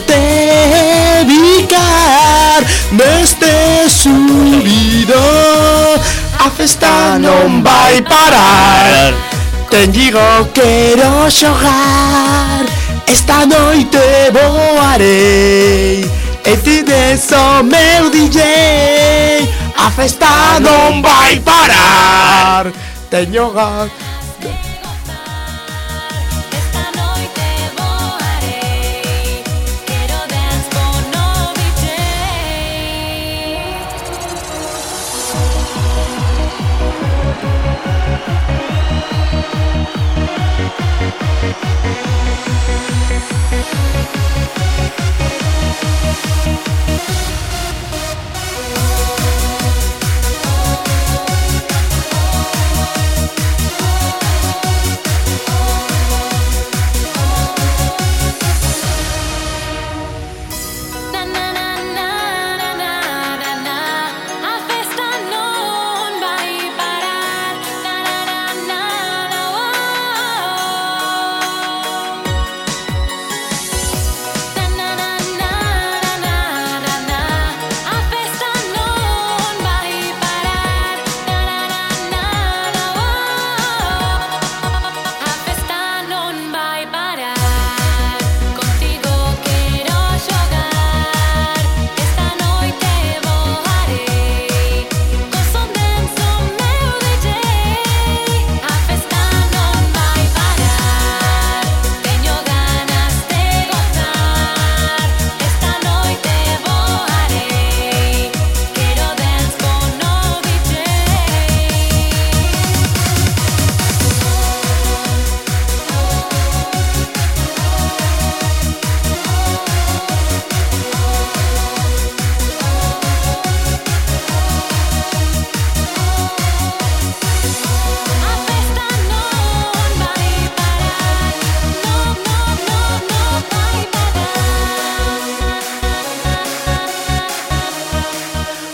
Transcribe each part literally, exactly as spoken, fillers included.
te bicar neste subido. A festa non vai parar, ten digo quero xogar, esta noite voarei e ti des o meu D J. A festa non vai parar, teño gas.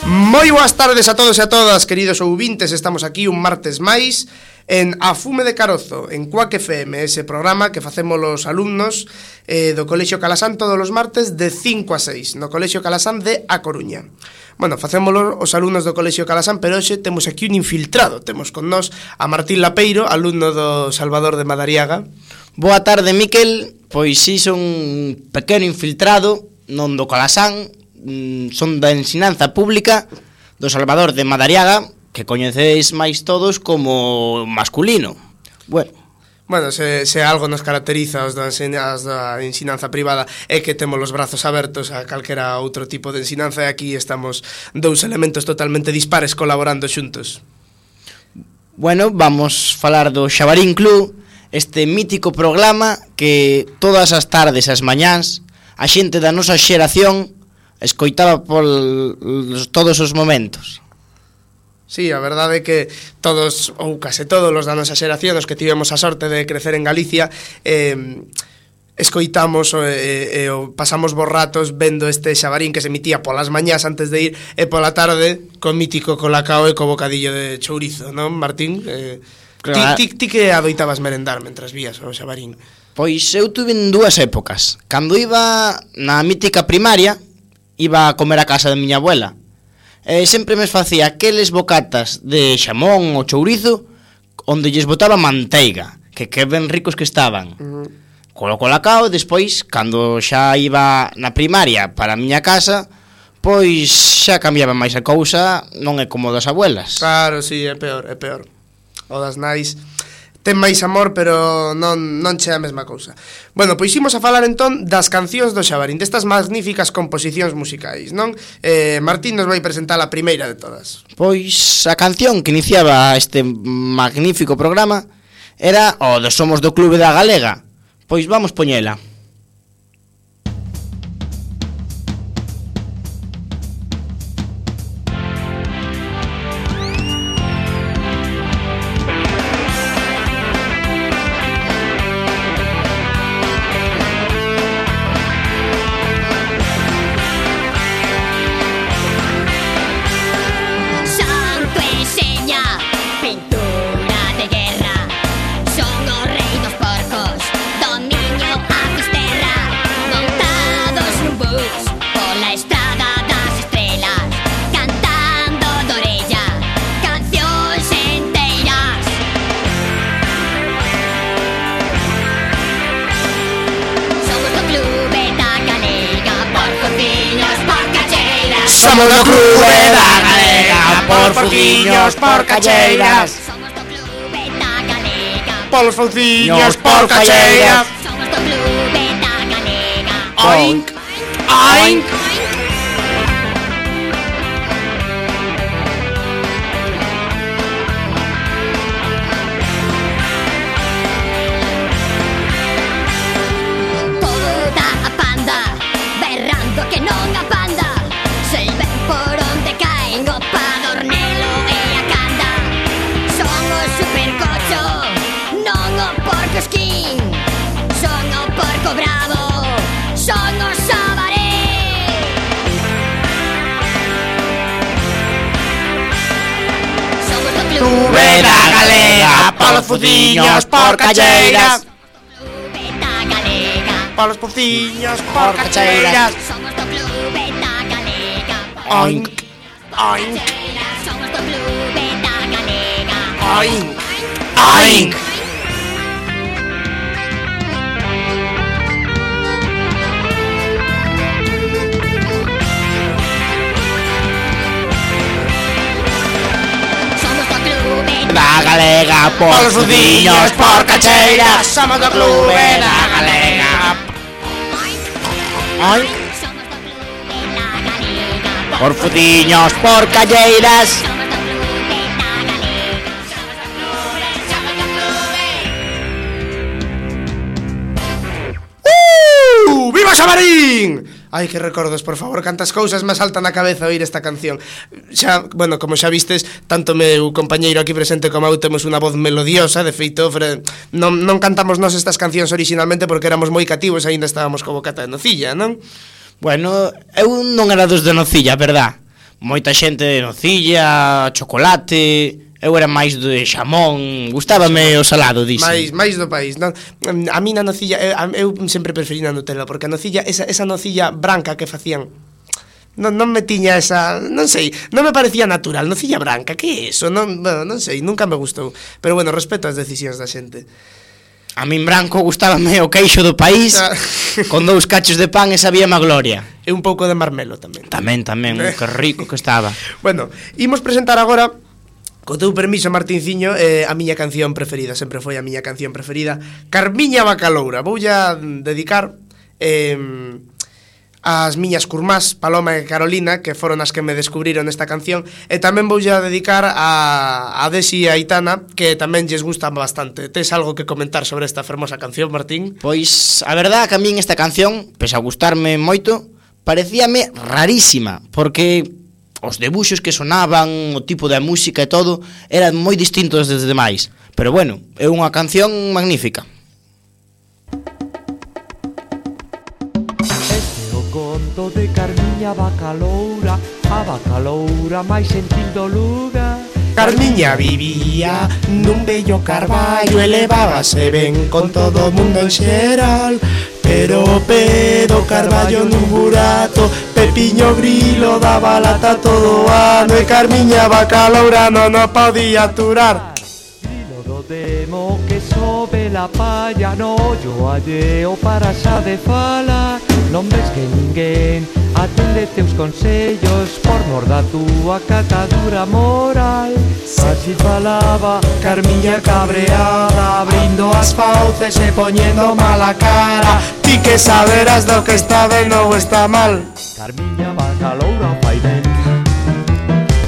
Moi boas tardes a todos e a todas, queridos ouvintes. Estamos aquí un martes máis en A Fume de Carozo, en Cuac F M, ese programa que facemos os alumnos eh, do Colexio Calasán todos os martes de cinco a seis, no Colexio Calasán de A Coruña. Bueno, facémolo os alumnos do Colexio Calasán, pero hoxe temos aquí un infiltrado. Temos con nós a Martín Lapeiro, alumno do Salvador de Madariaga. Boa tarde, Miquel. Pois si, son un pequeno infiltrado, non do Calasán, son da ensinanza pública do Salvador de Madariaga, que coñecedes máis todos como masculino. Bueno, Bueno, se, se algo nos caracteriza os da, ensinanza, da ensinanza privada é que temos os brazos abertos a calquera outro tipo de ensinanza, e aquí estamos dous elementos totalmente dispares colaborando xuntos. Bueno, vamos falar do Xabarín Club, este mítico programa que todas as tardes e as mañáns a xente da nosa xeración escoitaba por todos os momentos. Sí, a verdade é que todos, ou case todos os da nosa xeración, os que tivemos a sorte de crecer en Galicia, eh, escoitamos e eh, eh, pasamos bons ratos vendo este Xabarín que se emitía polas mañás antes de ir, e pola tarde co mítico colacao e co bocadillo de chourizo, non, Martín? Eh, claro. ti, ti, ti que adoitabas merendar mentras vías o Xabarín? Pois eu tuve en dúas épocas. Cando iba na mítica primaria, iba a comer a casa de miña abuela, e sempre me facía aqueles bocatas de xamón ou chourizo onde lles botaba manteiga, que que ben ricos que estaban. Uh-huh. Colo colacao. Despois, cando xa iba na primaria para a miña casa, pois xa cambiaba máis a cousa, non é como das abuelas. Claro, sí, é peor, é peor. O das nais ten máis amor, pero non, non che a mesma cousa. Bueno, pois imos a falar entón das cancións do Xabarín, destas magníficas composicións musicais, non? Eh, Martín nos vai presentar a primeira de todas. Pois a canción que iniciaba este magnífico programa era o de Somos do Clube da Galega. Pois vamos poñela. Pintura de guerra, son os rei dos porcos, dominio a somos do Clube da Galega. Por fociños, por cacheiras. Somos do Clube da Galega. Polos fociños, por cacheiras. Somos do Clube da Galega. Oink, oink. Toda a panda berrando que non a panda. Se ven por onde caen o padornelo e a canda. Son o supercocho, non o porco esquín. Son o porco bravo, son o sabaré. Somos do Clube da Galega. Polos fociños, por cacheiras. Clube da Galega. Polos fociños, por cacheiras. Somos do Clube da Galega. Oink, oink, Somos do Clube da Galega. oink, Oink. Somos do Clube Da Galega. Polos fociños, por cacheiras. Somos do Clube da Galega. Oink. Somos do Clube da Galega. Por fociños, por calleiras. Somos do Clube da Galega. Somos do Clube, somos do Clube. Uh, viva Xamarín! Ai, que recordos, por favor, cantas cousas me saltan na cabeza oír esta canción. Xa, bueno, como xa vistes, tanto meu compañeiro aquí presente como eu temos unha voz melodiosa. De feito, fre, non, non cantamos nós estas cancións originalmente porque éramos moi cativos e aínda estábamos como cata de nocilla, non? Bueno, eu non era dos de nocilla, verdad? Moita xente de nocilla, chocolate. Eu era máis de xamón. Gustábame o salado, dixe. Mais, máis do país, non? A mí na nocilla, eu, eu sempre preferí na Nutella, porque a nocilla, esa, esa nocilla branca que facían, non, non me tiña esa, non sei, non me parecía natural. Nocilla branca, que é eso? Non, bueno, non sei, nunca me gustou. Pero bueno, respeto as decisións da xente. A min branco gustábame o queixo do país Ah. con dous cachos de pan e sabíame a gloria. E un pouco de marmelo tamén. Tamén, tamén, que rico que estaba. Bueno, imos presentar agora, co teu permiso, Martinciño, eh, a miña canción preferida. Sempre foi a miña canción preferida, Carmiña Bacaloura. Voulla dedicar eh, as miñas curmás, Paloma e Carolina, que foron as que me descubriron esta canción. E tamén voulla dedicar a, a Desi e a Aitana, que tamén lles gusta bastante. Tes algo que comentar sobre esta fermosa canción, Martín? Pois, a verdad que a min esta canción, pese a gustarme moito, parecíame rarísima, porque os debuxos que sonaban, o tipo de música e todo, eran moi distintos dos demais. Pero bueno, é unha canción magnífica. Este é o conto de Carmiña Bacaloura, a Bacaloura máis sentil do lugar. Carmiña vivía nun bello carballo, elevábase ben con todo o mundo en xeral. Pero o pé do carballo nun burato, Pepiño Grilo daba lata todo o ano, e Carmiña Bacaloura non o podía aturar. Grilo do demo que sobe la palla no ollo alleo para xa de fala. Non ves que ninguén atende teus consellos por mor da túa catadura moral. Así falaba Carmiña cabreada, abrindo as fauces e poñendo mala cara. Ti que saberás do que está ben ou está mal. Carmiña Bacaloura fai ben,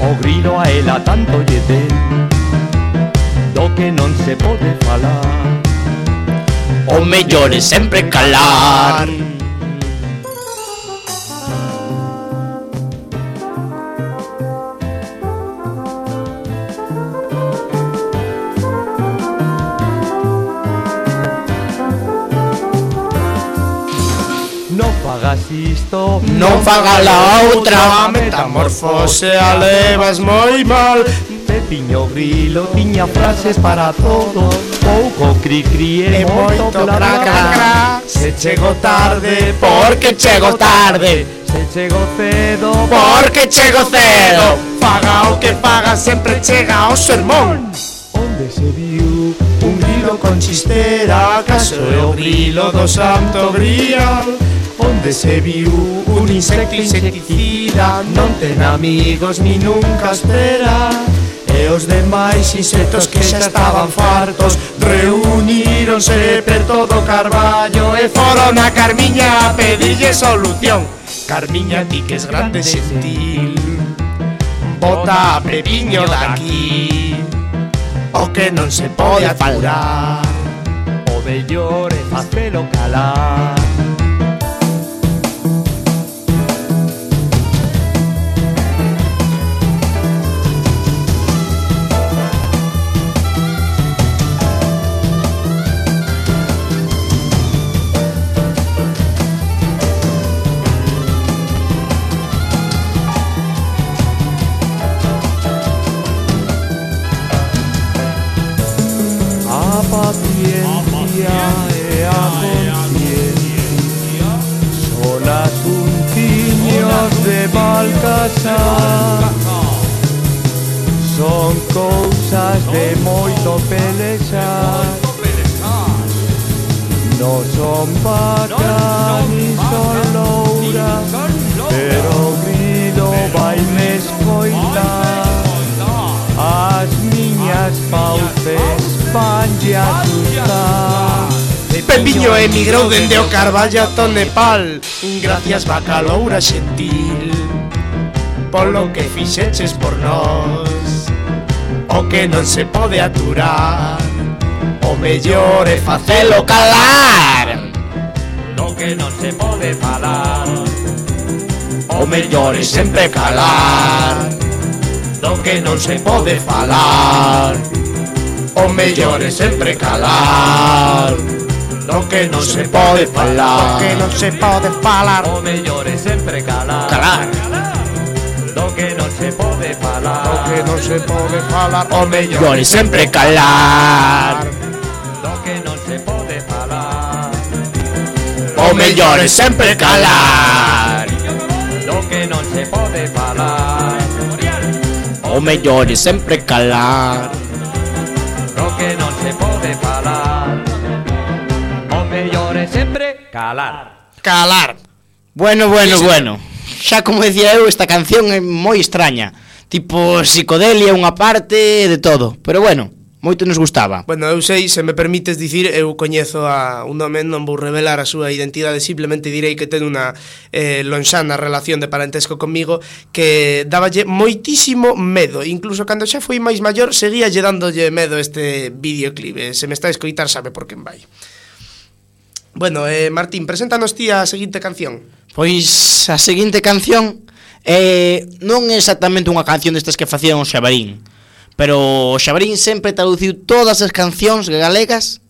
o grilo a ela tanto lle ten, do que non se pode falar. O mellor é sempre calar. Non fagas isto, Non faga la outra. A metamorfose a levas moi mal. Pepiño Grilo tiña frases para todo, pouco cri cri E e moito moito bla cra bla cra bla. cra. Se chego tarde, Porque chego tarde. Se chego cedo, Porque chego cedo. faga o que faga, sempre chega ao sermón. onde se viu Un grilo con chistera, acaso é o grilo do Santo Grial. onde onde se viu un insecto insecticida, non ten amigos ni nunca espera. E os demais insectos que xa estaban fartos reuníronse per todo o Carballo e foron a Carmiña a pedirlle solución. Carmiña, ti que es grande sentil, bota a Pepiño daqui, o que non se pode aturar, o mellor é facelo calar. Paciencia e a conciencia son asuntiños de Balcasar, son cousas de moito pelexar. Non son vaca ni son loura, pero o grido vai me escoitar. As miñas fauces vanlle a asustar. Pepiño emigrou dende o Carballo ata o Nepal, gracias vaca loura xentil, polo que fixeches por nós, o que non se pode aturar, o mellor é facelo calar. Do que non se pode falar, o mellor é sempre calar. Do que non se pode falar, o mellor é sempre calar. Do que non se pode falar, do que non se pode falar, o mellor é sempre calar. Calar. Do que non se pode falar, do que non se pode falar, o mellor é sempre calar. Do que non se pode falar, o mellor é sempre calar. Do que non se pode falar, o mellor é sempre calar. Do que non se pode falar, o mellor é sempre calar. Calar. Bueno, bueno, sí, bueno. Xa como decía eu, esta canción é moi extraña. Tipo psicodelia unha parte de todo. Pero bueno, moito nos gustaba. Bueno, eu sei, se me permites dicir, eu coñezo a un home, non vou revelar a súa identidade, simplemente direi que ten unha eh, lonxana relación de parentesco comigo que dáballe moitísimo medo. Incluso cando xa foi máis maior, seguíalle dándolle medo este videoclip. Se me está a escoitar, sabe por quen vai. Bueno, eh, Martín, preséntanos ti a seguinte canción. Pois a seguinte canción eh, non é exactamente unha canción destas que facían o Xabarín, pero o Xabarín sempre traduciu todas as cancións galegas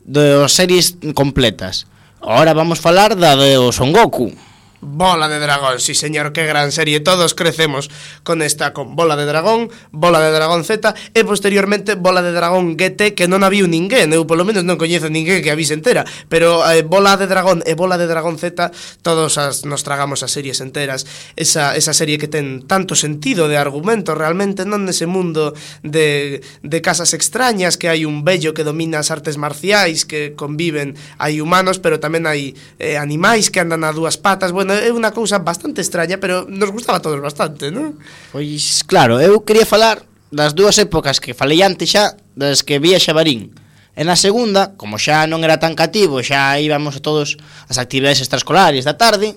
das series completas. Ahora vamos falar da de o Son Goku. Bola de Dragón, sí señor, qué gran serie. Todos crecemos con esta, con Bola de Dragón, Bola de Dragón Z e posteriormente Bola de Dragón G T, que non había ninguén. Eu polo menos non coñezo ninguén que a vise entera, pero eh, Bola de Dragón e Bola de Dragón Z, todos as, nos tragamos as series enteras. Esa, esa serie que ten tanto sentido de argumento realmente, non nese mundo de, de casas extrañas, que hai un vello que domina as artes marciais, que conviven, hai humanos, pero tamén hai eh, animais que andan a dúas patas. Bueno, é unha cousa bastante extraña, pero nos gustaba a todos bastante, non? Pois claro, eu quería falar das dúas épocas que falei antes xa, das que vía Xabarín. E na segunda, como xa non era tan cativo, xa íbamos a todos as actividades extraescolares da tarde,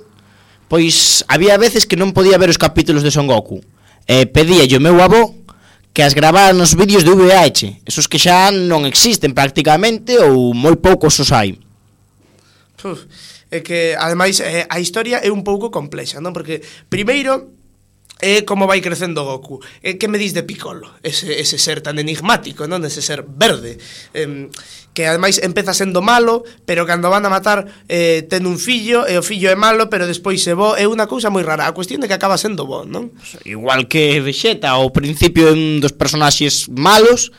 pois había veces que non podía ver os capítulos de Son Goku. E pedíalle o meu avó que as grabara nos vídeos de V H, esos que xa non existen prácticamente ou moi poucos os hai. Uf, é que, ademais, eh, a historia é un pouco complexa, non? Porque, primeiro, é como vai crecendo Goku. É que me dis de Piccolo, ese, ese ser tan enigmático, non? Ese ser verde, eh, que ademais empeza sendo malo, pero cando van a matar eh, ten un fillo, e o fillo é malo, pero despois se bo. É unha cousa moi rara. A cuestión é que acaba sendo bo, non? Igual que Vegeta, ao principio é un dos personaxes malos,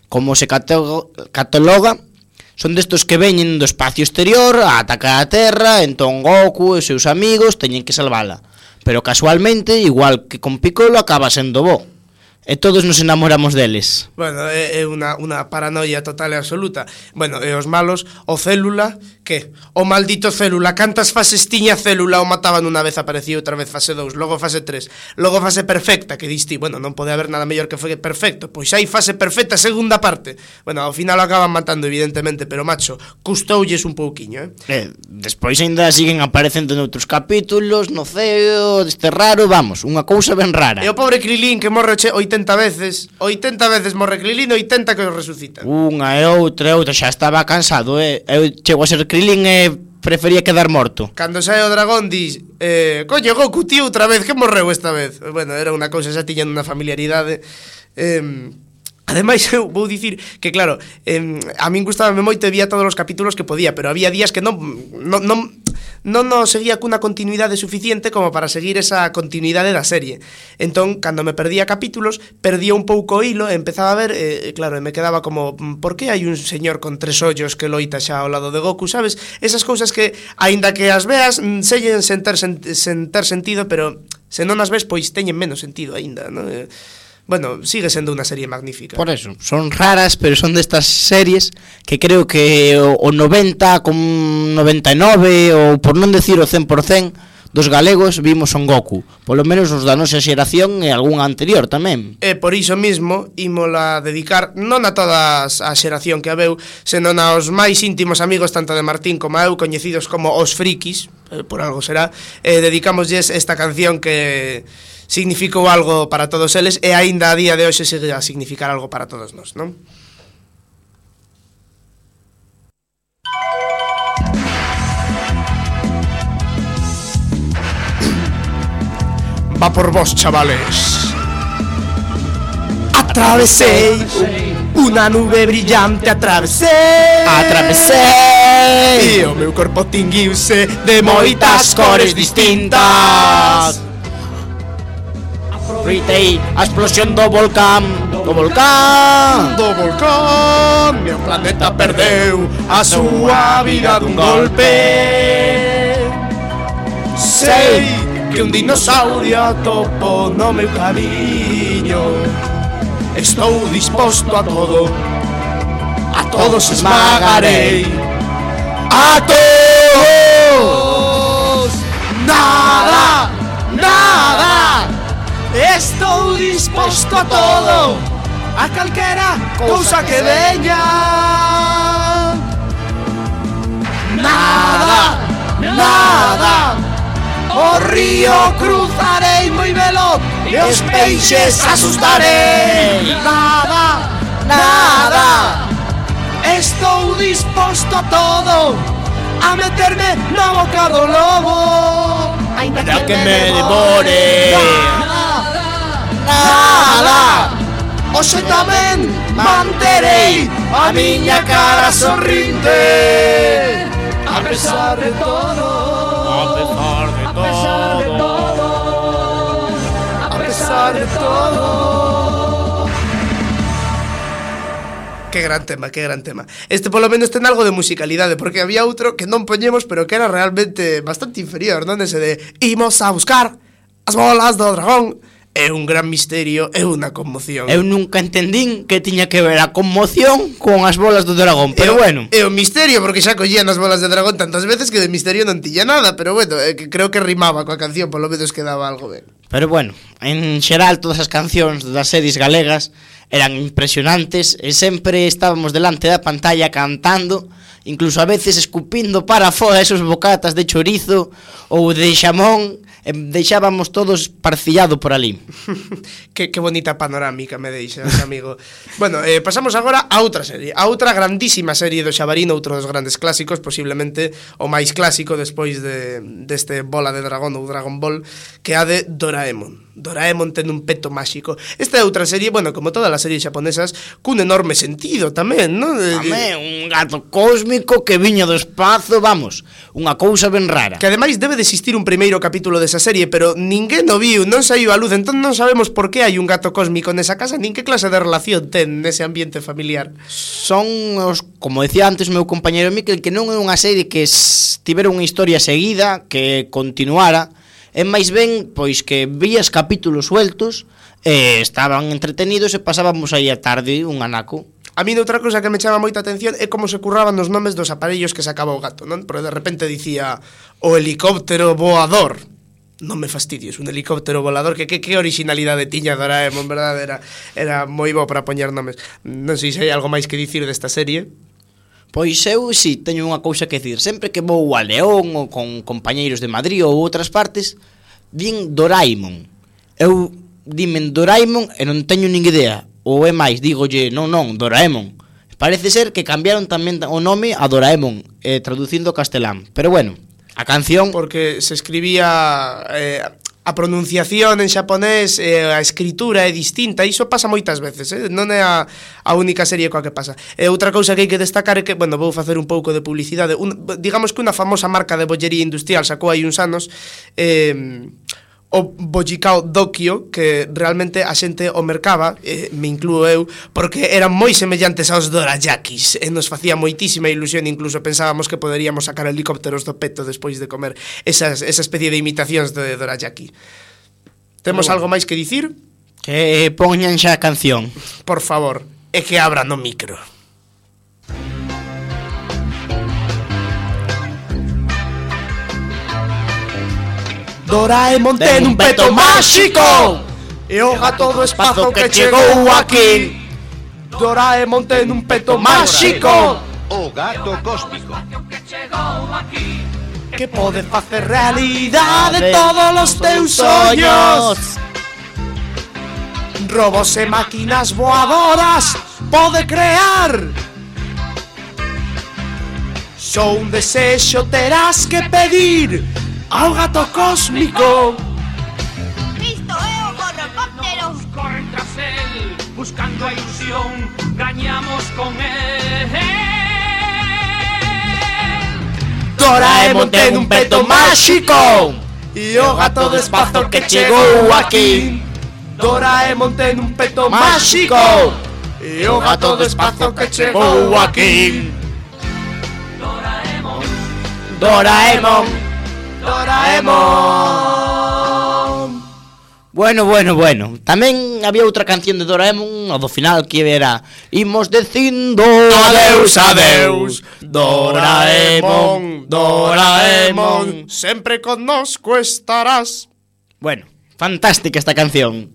como se cataloga, son destos que veñen do espacio exterior a atacar a Terra, entón Goku e os seus amigos teñen que salvala. Pero casualmente, igual que con Piccolo, acaba sendo bo. E todos nos enamoramos deles. Bueno, é, é unha, unha paranoia total e absoluta. Bueno, e os malos, o Célula, Que? O maldito Célula, cantas fases tiña Célula, o mataban unha vez, aparecía outra vez fase dous, logo fase tres, logo fase perfecta, que diste, bueno, non pode haber nada mellor que foi perfecto, pois hai fase perfecta segunda parte. Bueno, ao final o acaban matando evidentemente, pero macho, custoulles un pouquiño, eh? eh Despois aínda siguen aparecendo noutros capítulos, no ceo, deste raro, vamos, unha cousa ben rara. E o pobre Krilin que morre che oitenta veces, oitenta veces morre Krilin, oitenta que o resucitan. Unha e outra e outra, xa estaba cansado, eh? Eu chego a ser Krilin e prefería quedar morto. Cando sae o dragón dis, eh, coño, Goku, tío, outra vez, que morreu esta vez? Bueno, era unha cousa, xa tiñan unha familiaridade. Eh, ademais, eu vou dicir que, claro, eh, a min gustábame moito e vía todos os capítulos que podía, pero había días que non non, non, non nos seguía cunha continuidade suficiente como para seguir esa continuidade da serie. Entón, cando me perdía capítulos, perdía un pouco o hilo e empezaba a ver, eh, claro, e me quedaba como, por que hai un señor con tres ollos que loita xa ao lado de Goku, sabes? Esas cousas que, aínda que as veas, sellen sen ter, sen, sen ter sentido, pero se non as ves, pois teñen menos sentido aínda, non? Eh, Bueno, sigue sendo unha serie magnífica. Por eso, son raras, pero son destas series que creo que o, o noventa con noventa e nove, ou por non decir o cen por cen dos galegos vimos Son Goku. Polo menos os da nosa xeración e algún anterior tamén. E por iso mismo ímola dedicar non a toda a xeración que a veu, senón aos máis íntimos amigos tanto de Martín como eu, coñecidos como os frikis, eh, por algo será, e dedicámoslles esta canción que significou algo para todos eles e aínda a día de hoxe sigue a significar algo para todos nós, non? Va por vos, chavales. Atravesei unha nube brillante, atravesei Atravesei e o meu corpo tinguiuse de moitas cores distintas. Gritei a explosión do volcán, do volcán. Do volcán, meu planeta perdeu a súa vida dun golpe. Sei que un dinosaurio atopo no meu camiño. Estou disposto a todo, a todos esmagarei, a todos. Nada, nada. Estou disposto a todo, a calquera cousa que veña. Nada, nada. O río cruzarei moi veloz e os peixes asustarei. Nada, nada. Estou disposto a todo, a meterme na boca do lobo, ainda que me devore. Nada. Hoxe tamén manterei a miña cara sorrinte, a pesar de todo, A pesar de a pesar de todo, a pesar de todo. Que gran tema, que gran tema. Este polo menos ten algo de musicalidade, porque había outro que non poñemos, pero que era realmente bastante inferior, non? Ese de imos a buscar as bolas do dragón. É un gran misterio, é unha conmoción. Eu nunca entendín que tiña que ver a conmoción con as bolas do dragón, pero é, bueno. É un misterio, porque xa collían as bolas de dragón tantas veces que de misterio non tiña nada, pero bueno, é que creo que rimaba coa canción, polo menos quedaba algo ben. Pero bueno, en xeral todas as cancións das series galegas eran impresionantes e sempre estábamos delante da pantalla cantando, incluso a veces escupindo para fora esos bocatas de chorizo ou de xamón, e deixábamos todos parcillado por ali. que, que bonita panorámica me deixas, amigo. Bueno, eh, pasamos agora a outra serie, a outra grandísima serie do Xabarín, outro dos grandes clásicos, posiblemente o máis clásico despois de deste Bola de Dragón ou Dragon Ball, que é a de Doraemon. Doraemon ten un peto máxico. Esta é outra serie, bueno, como todas as series xaponesas, cun enorme sentido tamén, non? Tamén, un gato cósmico que viña do espazo, vamos, unha cousa ben rara. Que ademais debe de existir un primeiro capítulo desa serie, pero ninguén o viu, non saiu a luz, entón non sabemos por que hai un gato cósmico nesa casa, nin que clase de relación ten nese ambiente familiar. Son os, como decía antes o meu compañeiro Miquel, que non é unha serie que tivera unha historia seguida, que continuara. É máis ben, pois, que vías capítulos sueltos e estaban entretenidos e pasábamos aí a tarde un anaco. A mí outra cousa que me chama moita atención é como se curraban os nomes dos aparellos que sacaba o gato, non? Porque de repente dicía o helicóptero voador. Non me fastidies, un helicóptero volador, que que, que originalidade tiña Doraemon, verdade? Era, era moi bo para poñer nomes. Non sei se hai algo máis que dicir desta serie. Pois eu si teño unha cousa que dicir. Sempre que vou a León ou con compañeiros de Madrid ou outras partes, din Doraemon. Eu dimen Doraemon e non teño nin idea. Ou é máis, dígolle, non, non, Doraemon. Parece ser que cambiaron tamén o nome a Doraemon, eh, traducindo ao castelán. Pero bueno, a canción... Porque se escribía... Eh, a pronunciación en xaponés, eh, a escritura é distinta. Iso pasa moitas veces, eh? Non é a, a única serie coa que pasa. E outra cousa que hai que destacar é que, bueno, vou facer un pouco de publicidade. Un, digamos que unha famosa marca de bollería industrial sacou hai uns anos... Eh, o Bojikao Dokyo, que realmente a xente o mercaba, eh, me incluo eu, porque eran moi semellantes aos dorayakis, e nos facía moitísima ilusión, incluso pensábamos que poderíamos sacar helicópteros do peto despois de comer esas, esa especie de imitacións de dorayaki. Temos algo máis que dicir? Que poñan xa a canción. Por favor, e que abran o micro. Doraemon ten un peto máxico e o gato do espazo que chegou aquí. Doraemon ten un peto máxico, o gato cósmico, que pode facer realidade todos os teus sonhos. Robos e máquinas voadoras pode crear. Só un desexo terás que pedir ao gato cósmico. Isto é o gorrocóptero. Corren tras él, buscando a ilusión, gañamos con él. Doraemon ten un peto máxico e o gato do espazo que chegou aquí. Doraemon ten un peto máxico e o gato do espazo que chegou aquí. Doraemon, Doraemon, Doraemon. Bueno, bueno, bueno. Tamén había outra canción de Doraemon, ao do final, que era imos dicindo Adeus, adeus, Doraemon, Doraemon, sempre connosco estarás. Bueno, fantástica esta canción.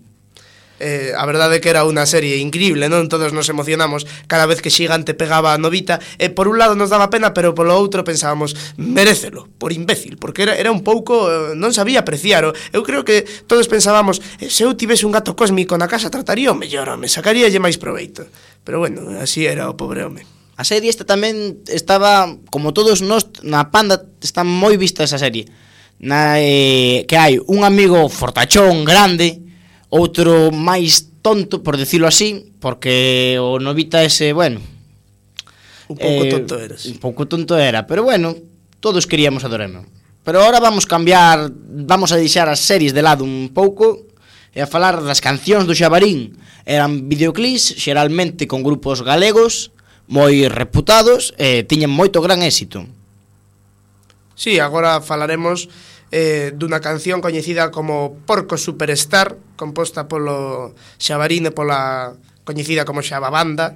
Eh, a verdade é que era unha serie increíble, non? Todos nos emocionamos cada vez que Xigante pegaba a Novita, e por un lado nos daba pena, pero polo outro pensábamos, merécelo, por imbécil, porque era, era un pouco, eh, non sabía apreciar. Eu creo que todos pensábamos, eh, se eu tivese un gato cósmico na casa trataría o mellor, me sacaríalle máis proveito. Pero bueno, así era o pobre home. A serie esta tamén estaba, como todos nós, na Panda está moi vista esa serie. Na, eh, que hai un amigo fortachón, grande, outro máis tonto, por decirlo así, porque o Novita ese, bueno, Un pouco eh, tonto eras. Un pouco tonto era, pero bueno, todos queríamos a Doraemon. Pero ahora vamos cambiar, vamos a deixar as series de lado un pouco e a falar das cancións do Xabarín. Eran videoclips, xeralmente con grupos galegos, moi reputados, e tiñen moito gran éxito. Sí, agora falaremos eh, dunha canción coñecida como Porco Superstar, composta polo Xabarín e pola coñecida como Xababanda.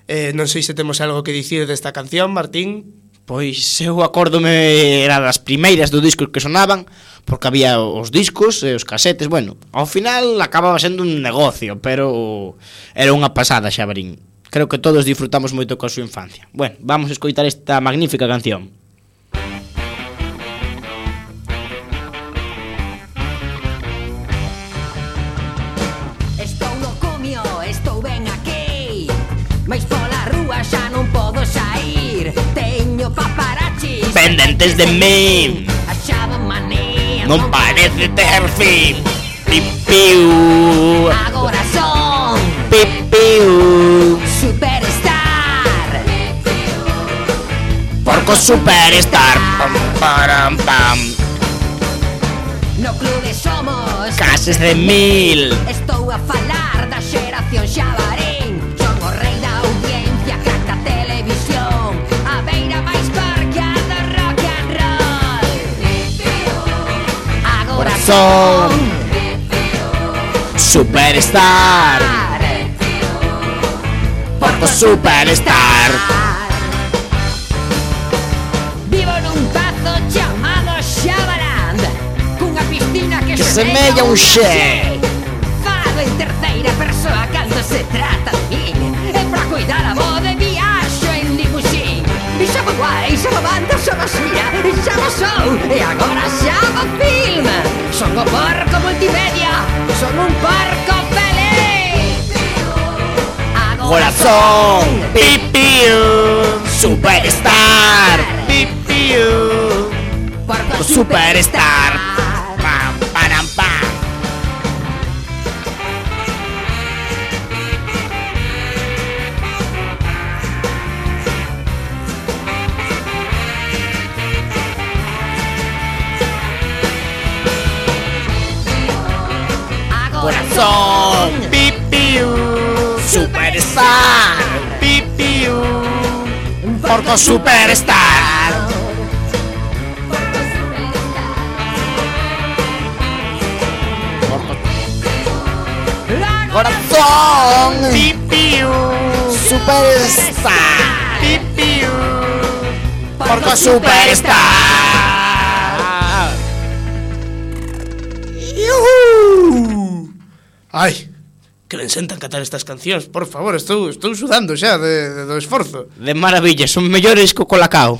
Eh, non sei se temos algo que dicir desta canción, Martín. Pois eu acórdome, era das primeiras do disco que sonaban, porque había os discos e os casetes. Bueno, ao final acababa sendo un negocio, pero era unha pasada, Xabarín. Creo que todos disfrutamos moito coa súa infancia. Bueno, vamos a escoitar esta magnífica canción. Pendentes de mí, non parece ter fin. Pipiu, Agora son pipiu, Superstar. Porco Superstar. Pam, param, pam. No clube somos Cases de mil. Estou a falar da xeración Xabarín. Son o rei da audiencia, crack da televisión, a beira máis parca do rock and roll. Agora son Superstar. Porco Superstar. Vivo nun pazo chamado Xabaland, cunha piscina que, Que semella un xe. Falo en terceira persoa cando se trata de min, e pra cuidar a voz de viaxo en limusín. E xa guai, xa banda, xa basura, e xa sou, e agora xa film. Son o porco multimedia, son un porco feliz. Corazón, pipiu, Superstar, pipiu, Porco Superstar. Pam, param, pam. Corazón, pipiu, Superstar, pipiu, Porco Superstar. Corazón, pipiu, Superstar, pipiu, Porco Superstar. Iuhu. Ai, que ben sentan cantar estas cancións. Por favor, estou, estou sudando xa de, de, do esforzo. De maravilla, son mellores co Colacao.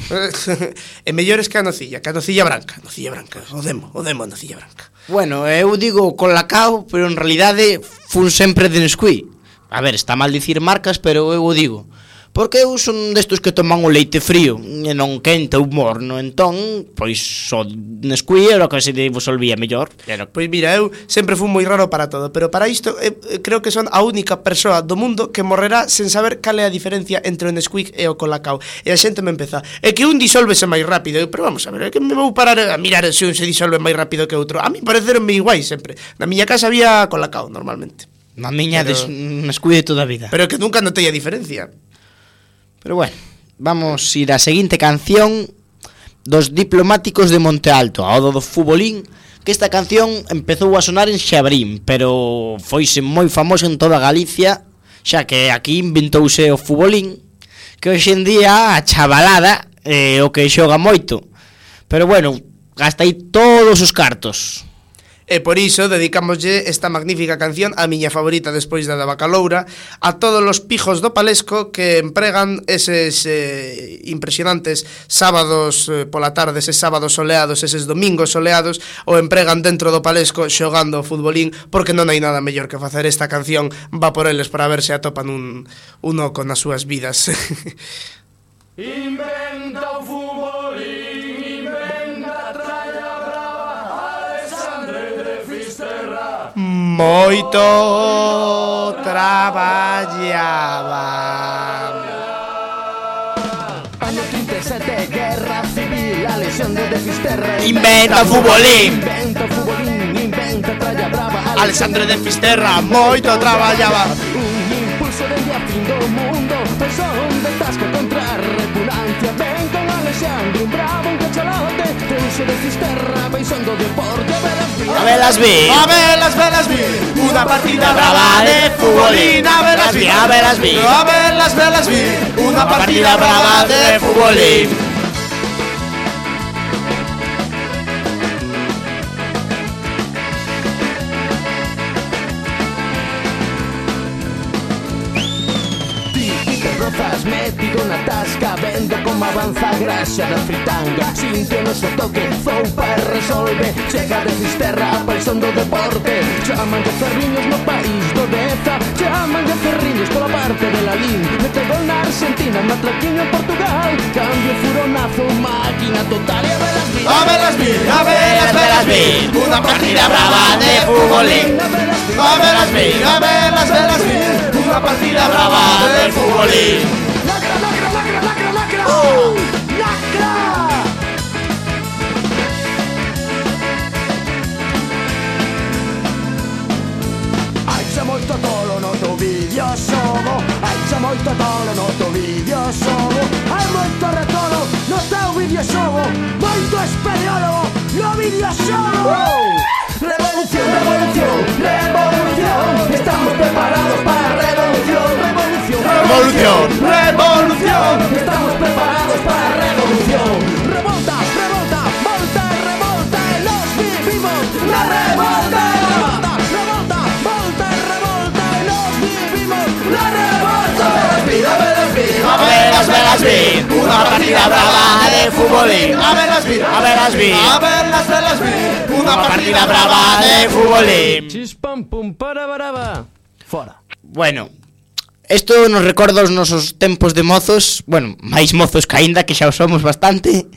E mellores que a nocilla, que a nocilla branca. Nocilla branca, o demo, o demo a nocilla branca. Bueno, eu digo Colacao, pero en realidade fun sempre de Nesquik. A ver, está mal dicir marcas, pero eu o digo. Porque eu son destos que toman o leite frío e non quente ou morno. Entón, pois, o Nesquik era o que se disolvía mellor. Era... Pois mira, eu sempre fui moi raro para todo, pero para isto eh, creo que son a única persoa do mundo que morrerá sen saber cal é a diferencia entre o Nesquik e o Colacao. E a xente me empeza, é que un disólvese máis rápido. Eu, pero vamos a ver, é que me vou parar a mirar se un se disolve máis rápido que outro. A mí pareceronme iguais sempre. Na miña casa había Colacao normalmente. Na miña pero... des... Nesquik de toda a vida. Pero que nunca notei a diferencia. Pero bueno, vamos a ir á seguinte canción dos Diplomáticos de Monte Alto, ao do futbolín, que esta canción empezou a sonar en Xabrín, pero foise moi famosa en toda Galicia, xa que aquí inventouse o futbolín, que hoxe en día a chavalada é o que xoga moito. Pero bueno, gasta aí todos os cartos. E por iso dedicámoslle esta magnífica canción, a miña favorita despois da da Bacaloura, a todos os pijos do Palesco que empregan eses eh, impresionantes sábados eh, pola tarde, eses sábados soleados, eses domingos soleados, o empregan dentro do Palesco xogando o futbolín, porque non hai nada mellor que facer esta canción, va por eles para ver se atopan un, un oco nas súas vidas. Inventa o futbolín, inventa a tralla brava, Alexandre de Fisterra. Moito traballaba. Año trinta e sete, guerra civil, Alexandre de Fisterra Inventa o futbolín. Inventa o futbolín, inventa a tralla brava, Alexandre de Fisterra moito traballaba. un impulso dende a fin do mundo, pois son de tasca contra a repugnancia. Ven con Alexandre, un bravo, un cachalote, Tenso de Fisterra, paixón do deporte. A velas vi, A velas, velas vi, unha partida brava de futbolín. A velas vi, a velas vi, a velas, velas vi, unha partida brava de futbolín. Rozas metido na tasca, vendo como avanza a graxa da fritanga. Sinte o noso toque, zoupa e resolve. Chega de Fisterra, a paixón do deporte. Chaman de ferriños no país do Deza, chaman de ferriños pola parte de Lalín. Mete gol na Argentina, matraquiño en Portugal. Cambio furonazo, máquina total. E a velas vi, A velas vi, a velas, velas vi, unha partida brava de futbolín. A velas vi, a velas, velas vi, unha partida brava de futbolín. Lacra, lacra, lacra, lacra, lacra. Oh, lacra. Hai xa moito tolo no teu vídeo xogo, hai xa moito tolo no teu vídeo xogo, hai moito retolo no teu vídeo xogo, moito espeleólogo no vídeo xogo. Revolución, revolución, revolución, estamos preparados para a revolución, revolución, revolución. Revolución, estamos preparados para la revolución. Revolta, revolta, volta, revolta, los vivimos. La revolta, revolta, revolta, volta, revolta, los vivimos. La revolta. A ver las velas vi, una partida brava de futbolín. A ver las vi, A ver las vi, a ver las velas vi, una partida brava de futbolín. Chispam pum para baraba. Fora. Bueno, isto nos recorda os nosos tempos de mozos, bueno, máis mozos que aínda, que xa o somos bastante,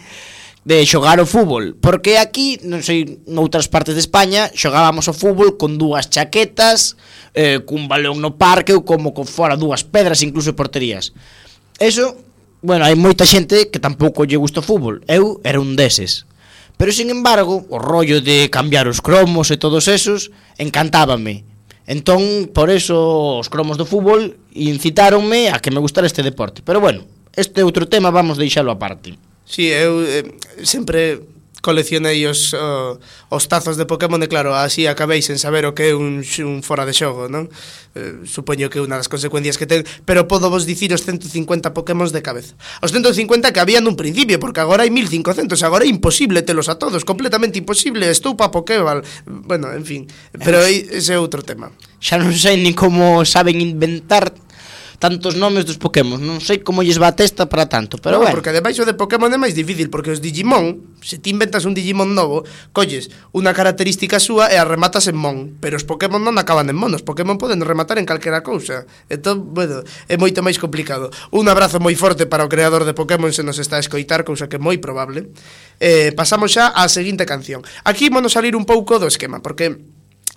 de xogar o fútbol. Porque aquí, non sei, noutras partes de España, xogábamos o fútbol con dúas chaquetas, eh, cun balón no parque ou como con fora dúas pedras, incluso porterías. Eso, bueno, hai moita xente que tampouco lle gusta o fútbol. Eu era un deses. Pero, sin embargo, o rollo de cambiar os cromos e todos esos encantábame. Entón, por eso, os cromos do fútbol incitáronme a que me gustara este deporte. Pero, bueno, este outro tema vamos deixalo aparte. Sí, eu eh, sempre coleccionei os, uh, os tazos de Pokémon e claro, así acabei sen saber o que é un, un fora de xogo, non? Eh, supoño que é unha das consecuencias que ten, pero podo vos dicir os ciento cincuenta Pokémon de cabeza. Os ciento cincuenta que había nun principio, porque agora hai mil cincocentos, agora é imposible telos a todos, completamente imposible, estou pa Pokéball. Bueno, en fin, pero ese é outro tema. Xa non sei nin como saben inventar tantos nomes dos Pokémon, non sei como lles va a testa para tanto, pero no, bueno. Porque debaixo de Pokémon é máis difícil, porque os Digimon, se ti inventas un Digimon novo, colles unha característica súa e a rematas en Mon, pero os Pokémon non acaban en Mon, os Pokémon poden rematar en calquera cousa. Entón, bueno, é moito máis complicado. Un abrazo moi forte para o creador de Pokémon se nos está a escoitar, cousa que é moi probable. Eh, pasamos xa á seguinte canción. Aquí vamos salir un pouco do esquema, porque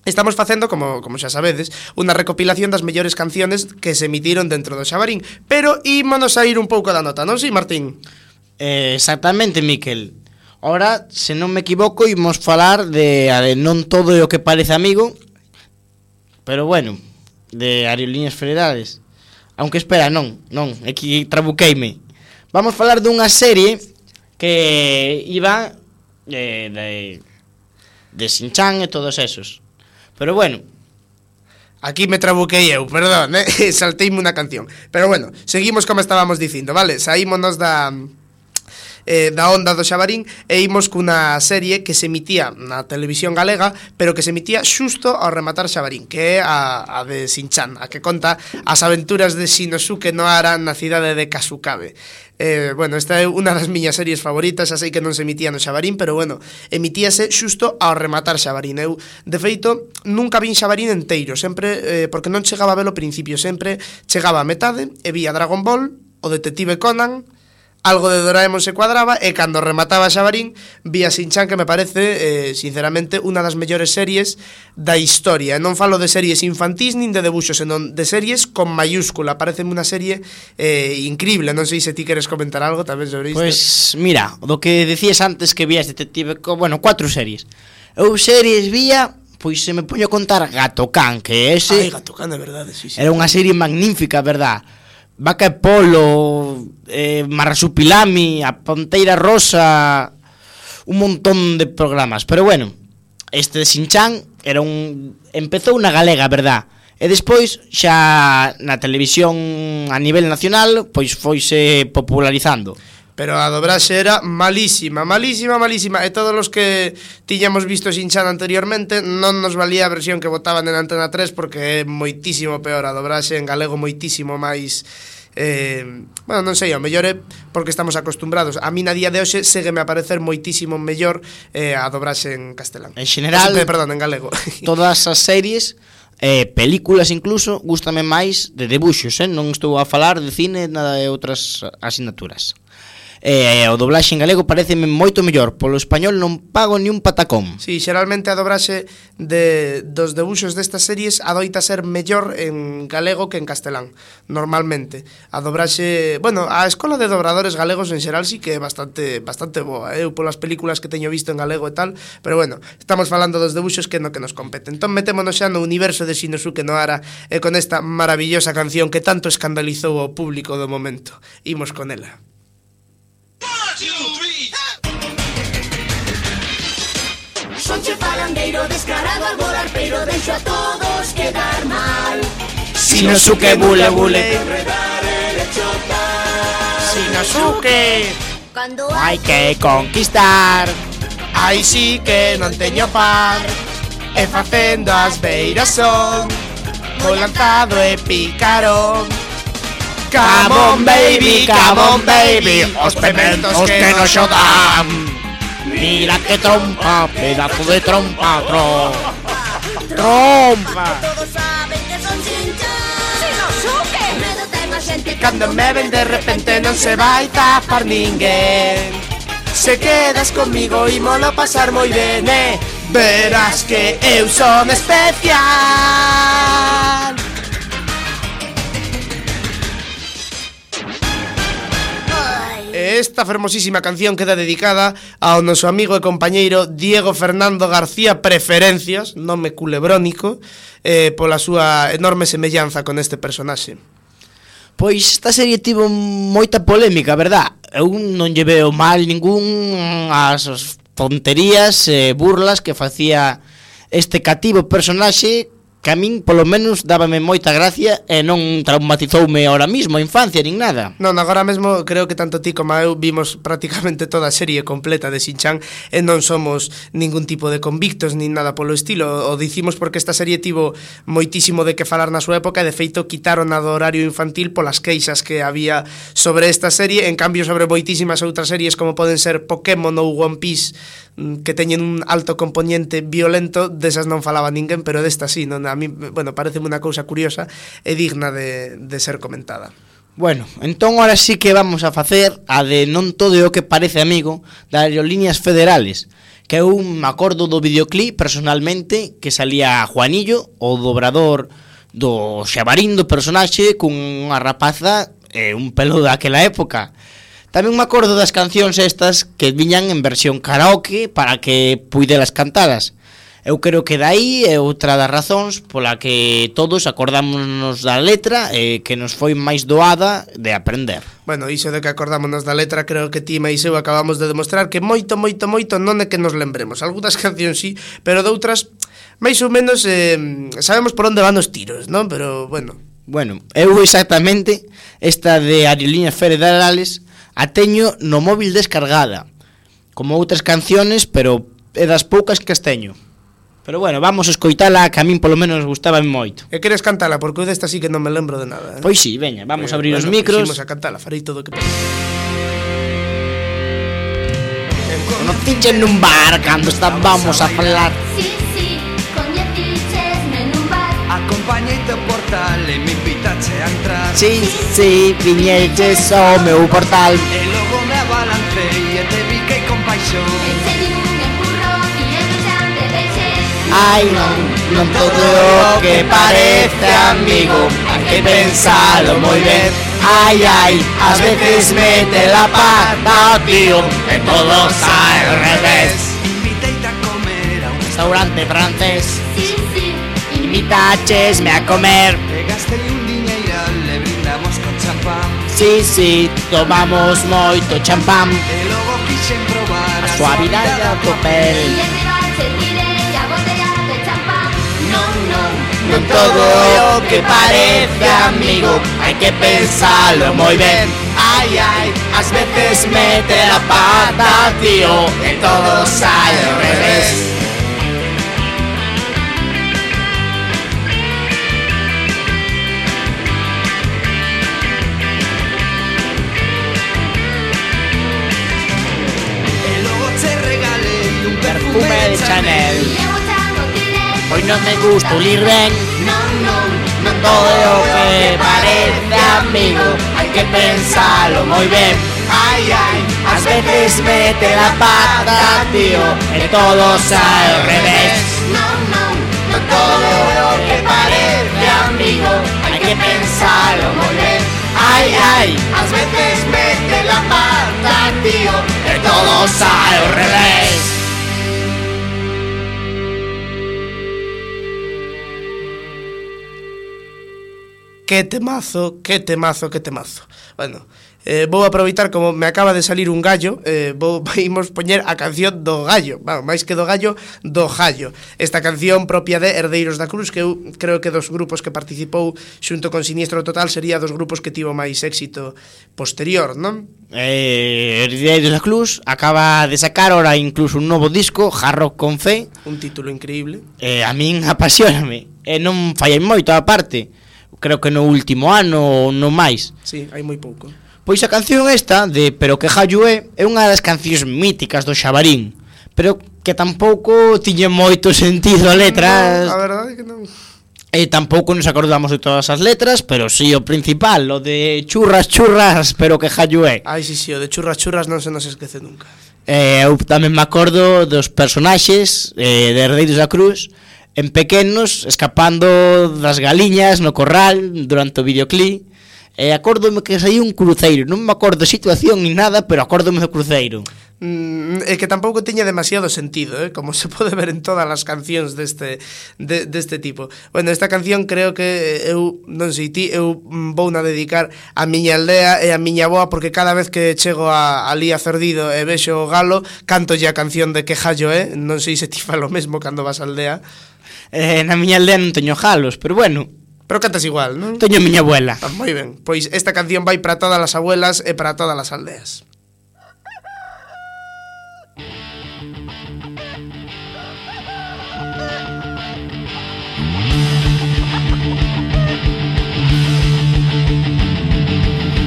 estamos facendo, como, como xa sabedes, unha recopilación das mellores canciones que se emitiron dentro do Xabarín. Pero ímonos a ir un pouco da nota, non si, Martín? Eh, exactamente, Miquel. Ora, se non me equivoco, imos falar de, de non todo é o que parece amigo, pero bueno, de Aerolíneas Federales. Aunque espera, non, non, aquí trabuqueime. Vamos falar dunha serie que iba eh, de, de Shin-chan e todos esos. Pero bueno, aquí me trabuquei eu, perdón, eh? Salteime unha canción. Pero bueno, seguimos como estábamos dicindo, vale? Saímonos da eh, da onda do Xabarín e imos cunha serie que se emitía na televisión galega, pero que se emitía xusto ao rematar Xabarín, que é a, a de Shin-chan, a que conta as aventuras de Shinosuke Nohara na cidade de Kasukabe. Eh, bueno, esta é unha das miñas series favoritas, xa sei que non se emitía no Xabarín, pero bueno, emitíase xusto ao rematar Xabarín. Eu, de feito, nunca vin Xabarín enteiro, sempre, eh, porque non chegaba a ver o principio, sempre chegaba a metade e vía Dragon Ball, o Detective Conan, algo de Doraemon se cuadraba, e cando remataba Xabarín vía Shin-chan, que me parece, eh, sinceramente, unha das mellores series da historia. Non falo de series infantís nin de debuxos, senón de series con mayúscula. Pareceme unha serie eh, increíble. Non sei se ti queres comentar algo tamén sobre isto. Pues mira, do que decías antes que vías Detective Conan, bueno, cuatro series. Eu series vía, pois se me poño a contar Gato Can, que ese... Ai, Gato Can, de verdade, sí, sí. Era unha serie magnífica, verdad? Vaca e Polo, eh, Marrasupilami, A Ponteira Rosa, un montón de programas. Pero bueno, este de Shin-chan era un... empezou na galega, verdad? E despois xa na televisión a nivel nacional, pois foise popularizando. Pero a dobraxe era malísima, malísima, malísima. E todos os que tiñamos visto Shin-chan anteriormente non nos valía a versión que botaban en Antena tres, porque é moitísimo peor a dobraxe en galego, moitísimo máis... Eh, bueno, non sei, ao mellor é porque estamos acostumbrados. A mí na día de hoxe ségueme a parecer moitísimo mellor eh, a dobraxe en castelán. En general, Ese, perdón, en galego. Todas as series, eh, películas incluso, gústame máis de debuxos, eh? Non estou a falar de cine, nada de outras asignaturas. Eh, o doblaxe en galego pareceme moito mellor. Polo español non pago ni un patacón. Sí, xeralmente a dobraxe de, dos debuxos destas series adoita ser mellor en galego que en castelán, normalmente. A dobraxe, bueno, a escola de dobradores galegos en xeral sí que é bastante bastante boa, eu polas películas que teño visto en galego e tal, pero bueno, estamos falando dos debuxos que no que nos compete. Entón metémonos xa no universo de Shinosuke Nohara e con esta maravillosa canción que tanto escandalizou ao público do momento. Imos con ela. Sonche falandeiro descarado al volar, pero deixo a todos quedar mal. Shinosuke bule bule, Enredar Inosuke. Cando Hai que conquistar. Ai sí que non teño par. E facendo as beiras son moi lanzado e pícaro. Come on baby, come on baby, os pementos que nos xo dan. Mira que trompa, pedazo de trompa, tro. Trompa. todos saben que son chinchón. Inosuke. Medo ten a xente Cando me ven de repente non se vai tapar ninguén. Se quedas comigo ímolo pasar moi ben, eh? Verás que eu son especial. Esta fermosísima canción queda dedicada ao noso amigo e compañeiro Diego Fernando García Preferencias, nome culebrónico, eh, pola súa enorme semellanza con este personaxe. Pois esta serie tivo moita polémica, verdad? Eu non lle veo mal ningún as tonterías e burlas que facía este cativo personaxe que a min, polo menos, dábame moita gracia e non traumatizoume ahora mismo a infancia, nin nada. Non, agora mesmo creo que tanto ti como eu vimos prácticamente toda a serie completa de Shin-chan e non somos ningún tipo de convictos nin nada polo estilo. O dicimos porque esta serie tivo moitísimo de que falar na súa época e de feito quitaron a do horario infantil polas queixas que había sobre esta serie. En cambio, sobre moitísimas outras series como poden ser Pokémon ou One Piece, que teñen un alto componente violento, desas non falaba ninguén, pero desta sí, non? A mí, bueno, pareceme unha cousa curiosa e digna de, de ser comentada. Bueno, entón ahora sí que vamos a facer a de non todo o que parece, amigo, das aerolíneas federales, que eu me acordo do videoclip personalmente que salía Juanillo, o dobrador do xabarindo personaxe cunha rapaza e un pelo daquela época. Tamén me acordo das cancións estas que viñan en versión karaoke para que puidelas cantadas. Eu creo que dai é outra das razóns pola que todos acordámonos da letra e que nos foi máis doada de aprender. Bueno, iso de que acordámonos da letra, creo que ti máis eu acabamos de demostrar que moito, moito, moito non é que nos lembremos. Algúnas cancións sí, pero doutras máis ou menos eh, sabemos por onde van os tiros, non? Pero, bueno. Bueno, eu exactamente esta de aerolíneas federales a teño no móvil descargada, como outras canciones, pero é das poucas que as teño. Pero bueno, vamos a escoitala, que a min polo menos gustaba moito. E queres cantala, porque eu desta sí que non me lembro de nada, eh? Pois sí, veña, vamos Pero, a abrir bueno, os micros. Vamos a cantala, farei todo o que podo. Conocichen nun bar cando estábamos a falar. Sí, sí, coñecichesme nun bar. Acompañeite ao portal e me invitache a entrar. Sí, sí, viñeches ao meu portal. E logo me abalancei e te piquei con paixón. Enseñe un empurrón e eu xa te deixei. Ai, non, non todo o que parece, amigo, hai que pensalo moi ben. Ai, ai, ás veces mete la pata, tío, e todo sae ao revés. Inviteite a comer a un Restaurante francés, Sí, sí, invitachesme a comer. E gastei un diñeiral e brindamos con champán. Sí, sí, tomamos moito champán. E logo quixen probar A suavidade da tua e pel. en rival se tirei a botella de champán. Non, non, Non todo o que parece, amigo, hai que pensalo moi ben. Ai, ai, ás veces mete la pata, tío, e todo sae ao revés. E logo che regalei un perfume Perfume de Chanel. e eu xa non tirei. Pois non me gusta olir ben. Non, non, Non todo o que parece, amigo, hai que pensalo moi ben. Ai, ai, ás veces mete la pata, tío, e todo sae ao revés. non, non, Non todo o que parece, amigo, hai que pensalo moi ben. Ai, ai, ás veces mete la pata, tío, e todo sae ao revés. que temazo, que temazo, que temazo. Bueno, eh, vou aproveitar como me acaba de salir un gallo, eh, vou imos poñer a canción do gallo, bueno, máis que do gallo, do gallo. Esta canción propia de Herdeiros da Cruz, que eu creo que dos grupos que participou xunto con Siniestro Total sería dos grupos que tivo máis éxito posterior, non? Eh, Herdeiros da Cruz acaba de sacar ahora incluso un novo disco, Hard Rock con Fe. Un título increíble. Eh, a min apasioname, e non fallai moito a parte. Creo que no último ano ou no máis. Sí, hai moi pouco. Pois a canción esta de Pero que Jallo é é unha das cancións míticas do Xabarín, pero que tampouco tiñe moito sentido a letras. No, a verdade é que non. E tampouco nos acordamos de todas as letras, pero sí o principal, o de churras, churras, pero que Jallo é. Ai, si, si, o de churras, churras non se nos esquece nunca. Eh, eu tamén me acordo dos personaxes eh, de Herdeiros da Cruz en pequenos, escapando das galiñas no corral durante o videoclip. E acórdome que saí un cruceiro. Non me acordo a situación ni nada, pero acórdome do cruceiro. Mm, é que tampouco tiña demasiado sentido, eh? Como se pode ver en todas as cancións deste, de, deste tipo. Bueno, esta canción creo que eu, non sei ti, eu vou na dedicar a miña aldea e a miña boa, porque cada vez que chego a, ali a Cerdido e vexo o galo, canto a canción de Que Jallo é. Non sei se ti fa lo mesmo cando vas á aldea. Eh, na miña aldea non teño galos, pero bueno, pero cantas igual, non? Teño a miña abuela. Ah, moi ben, pois esta canción vai para todas as abuelas e para todas as aldeas.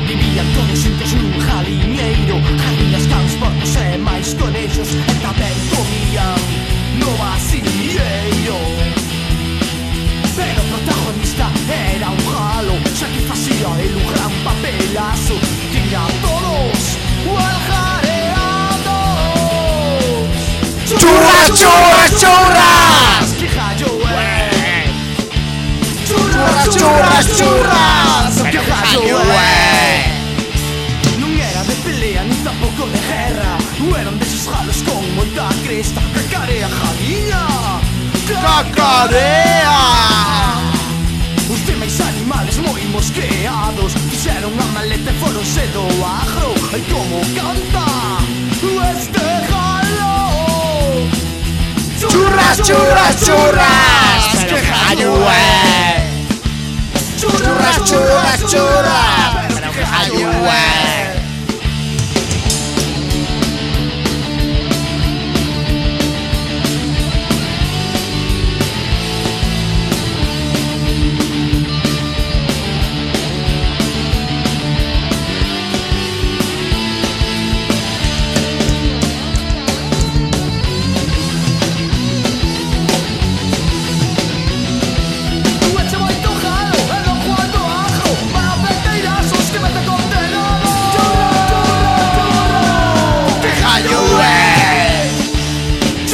Vivían todos xuntos nun jaliñeiro, jaliñas, cans, porcos e máis conexos, e tamén comían no vasilleiro. Pero o protagonista era un galo, xa que facía el un gran papelazo. Tiña todos aljareados. Churras, churras, churras! Que jallo é? Churras, churras, churras! Que jallo é? Non era de pelea nin tampouco de guerra, eran deses galos con moita cresta. Cacarea, jaliña, Cacarea! Os demais animales moi mosqueados fixeron a maleta e foronse do agro. Ai, como canta este galo! Churras, churras, churras! Que jallo é? Churras, churras, churras! Pero que jallo é?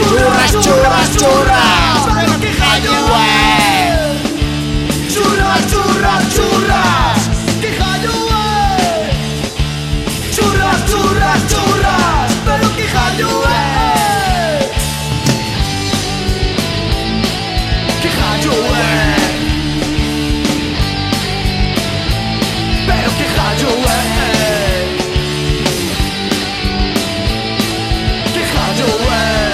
Churras, churras, pero que jallo é? Churras, churras, churras, que jallo é? Churras, churras, churras, pero que jallo é? Que jallo é? Pero que jallo é? Que jallo é?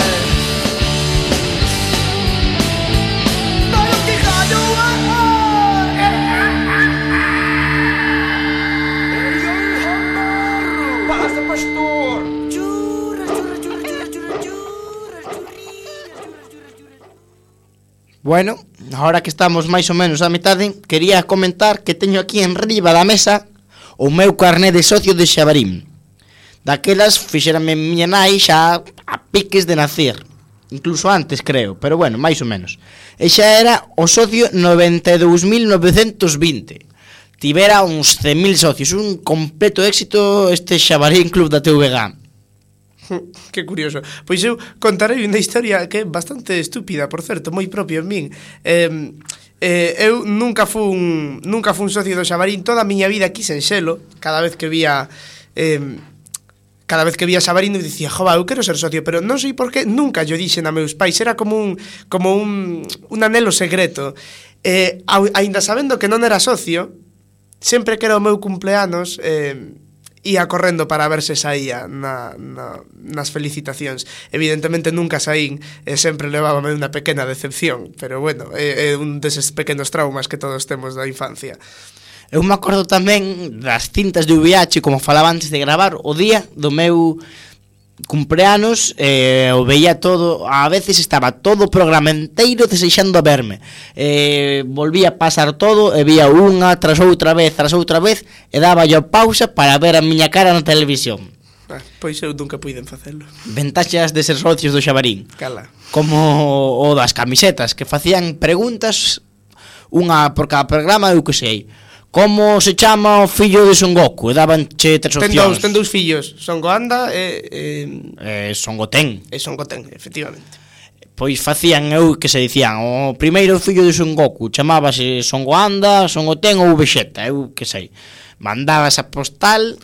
Bueno, ahora que estamos máis ou menos a metade, quería comentar que teño aquí en riba da mesa o meu carné de socio de Xabarín. Daquelas fixérame miña nai xa a piques de nacer, incluso antes creo, pero bueno, máis ou menos. E xa era o socio noventa e dous mil novecentos vinte. Tivera uns cen mil socios, un completo éxito este Xabarín Club da T V G. Que curioso. Pois eu contarei unha historia que é bastante estúpida, por certo, moi propio en min. Eh, eh, eu nunca fun nunca fun socio do Xabarín, toda a miña vida quisen selo. Cada vez que vía eh, cada vez que vía Xabarín eu dicía, jova, eu quero ser socio, pero non sei por que nunca yo dixen a meus pais, era como un como un un anelo secreto. Eh, aínda sabendo que non era socio, sempre que era o meu cumpleanos, eh, ia correndo para ver se saía na, na, nas felicitacións. Evidentemente nunca saín, e sempre levábame unha pequena decepción, pero bueno, é, é un deses pequenos traumas que todos temos da infancia. Eu me acordo tamén das cintas de V H, como falaba antes de gravar, o día do meu cumpleanos, eh, o veía todo, a veces estaba todo o programa inteiro desexando verme, eh, volvía a pasar todo e vía unha tras outra vez, tras outra vez, e daba yo pausa para ver a miña cara na televisión. Ah, pois eu nunca puiden facelo. Ventaxas de ser socios do Xabarín. Cala. Como o das camisetas, que facían preguntas, unha por cada programa, eu que sei. Como se chama o fillo de Son Goku? E dabanche tres opcións. Ten dous, ten dous fillos, Son Goanda e... E, e Son Goten. E Son Goten, efectivamente. Pois facían, eu que se dicían, o primeiro fillo de Son Goku chamábase Son Goanda, Son Goten ou Vegeta, eu que sei. Mandaba esa postal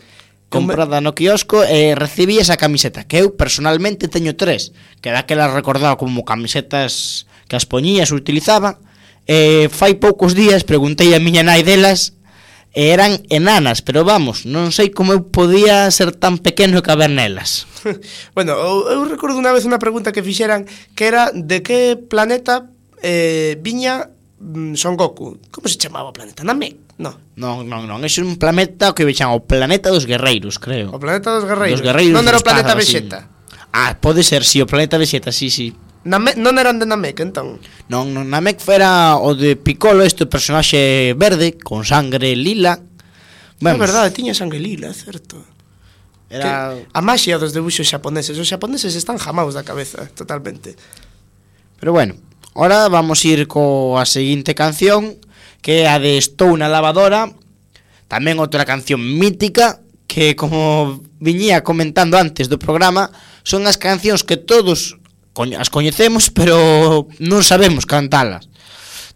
comprada no quiosco e recibía esa camiseta, que eu personalmente teño tres, que daquelas recordaba como camisetas que as poñías, utilizaba. E fai poucos días preguntei a miña nai delas e eran enanas, pero vamos, non sei como eu podía ser tan pequeno e caber nelas. Bueno, eu, eu recordo unha vez unha pregunta que fixeran, que era de que planeta eh, viña mm, Son Goku. Como se chamaba o planeta? Namek? No. Non, non, non, é un planeta que vexan o planeta dos guerreiros, creo. O planeta dos guerreiros. Dos guerreiros non era o planeta espadas, Vegeta. Así. Ah, pode ser, si, sí, o planeta Vegeta, sí, sí. Namek, non eran de Namek, entón? Non, non, Namek era o de Piccolo, este personaxe verde, con sangre lila. É verdade, tiña sangre lila, é certo. Era... Que a maxia dos debuxos xaponeses, os xaponeses están jamaos da cabeza, totalmente. Pero bueno, ahora vamos ir coa seguinte canción, que é a de Estou na lavadora, tamén outra canción mítica, que como viñía comentando antes do programa, son as cancións que todos as coñecemos, pero non sabemos cantalas.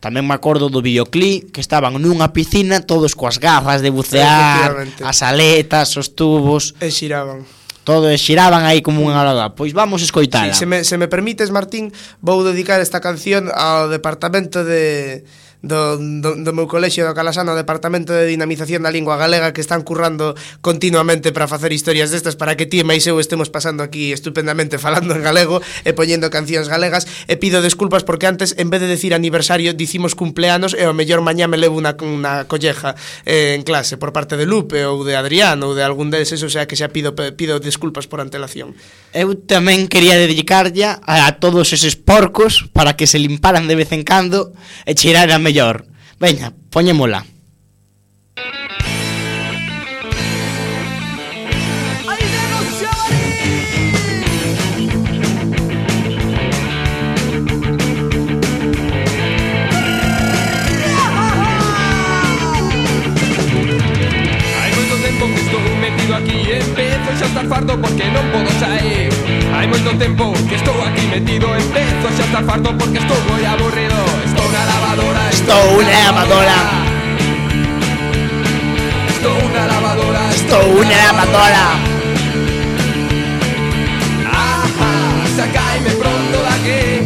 Tamén me acordo do videoclip, que estaban nunha piscina, todos coas gafas de bucear, as aletas, os tubos, e xiraban. Todo, e xiraban aí como unha loda. Pois vamos escoitala. Sí, se me, se me permites, Martín, vou dedicar esta canción ao departamento de... Do, do, do meu colexio do Calasano, o Departamento de Dinamización da Lingua Galega, que están currando continuamente para facer historias destas, para que ti e máis eu estemos pasando aquí estupendamente falando en galego e poñendo cancións galegas. E pido desculpas porque antes, en vez de decir aniversario, dicimos cumpleanos, e ao mellor mañá me levo unha, unha colleja eh, en clase por parte de Lupe ou de Adrián ou de algún deses, o sea que xa pido, pido desculpas por antelación. Eu tamén quería dedicarlle a, a todos eses porcos para que se limparan de vez en cando e cheiraran mellor. Veña, poñémola. Aquí empezo xa estar fardo porque non podo sair. Hai moito tempo que estou aquí metido, empezo xa estar fardo porque estou moi aburrido. Estou na lavadora, estou na lavadora, estou na lavadora, estou na lavadora. Ajá, sacaime pronto daqui.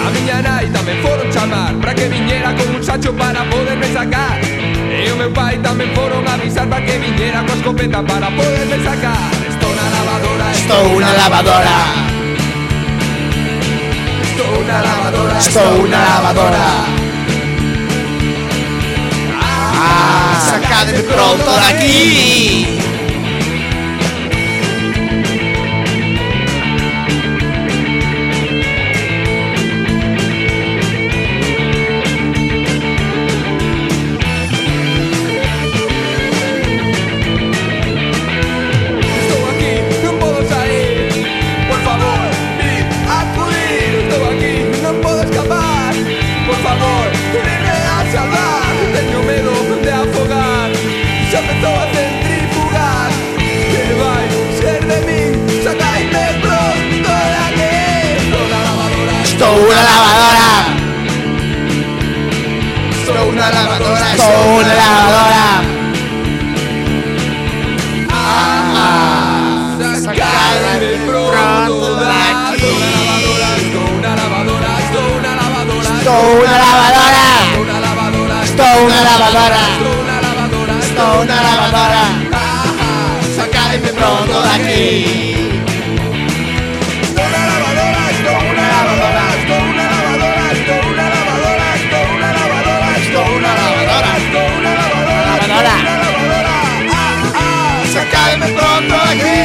A miña nai tamén foron chamar para que viñera con un sacho para poderme sacar. E o meu pai tamén foron avisar para que viñera coa escopeta para poderme sacar. Estou na lavadora, estou na lavadora, estou na lavadora, estou na lavadora. Ah, sacadme pronto daqui. una lavadora. Estou una lavadora. Estou una lavadora. Ah, sacadme pronto daqui. Estou una lavadora, estou una lavadora, estou una lavadora. Estou una lavadora, estou Estou na lavadora, estou na lavadora, estou na lavadora. Sacadme Pronto daqui. Estou na lavadora, estou na lavadora, estou na lavadora, estou na lavadora, estou na lavadora, estou na lavadora, estou na lavadora, Lavadora. ah, ah, sacadme pronto aquí.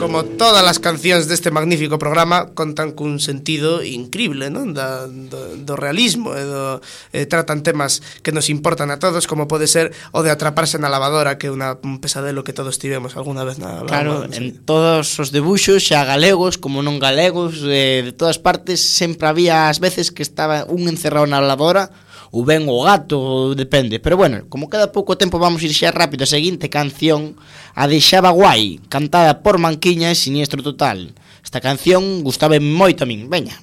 Como todas as cancións deste magnífico programa contan cun sentido increíble, non? Da, do, do realismo e do, eh, tratan temas que nos importan a todos, como pode ser o de atraparse na lavadora, que é una, un pesadelo que todos tivemos alguna vez na lavadora. Claro, non sei. en todos os debuxos, xa galegos como non galegos, eh, de todas partes sempre había as veces que estaba un encerrado na lavadora ou ben o gato, depende. Pero bueno, como queda pouco tempo, vamos ir xa rápido. A seguinte canción, a de Xaba Guai, cantada por Manquiña e Siniestro Total. Esta canción gustaba moito a min. Veña.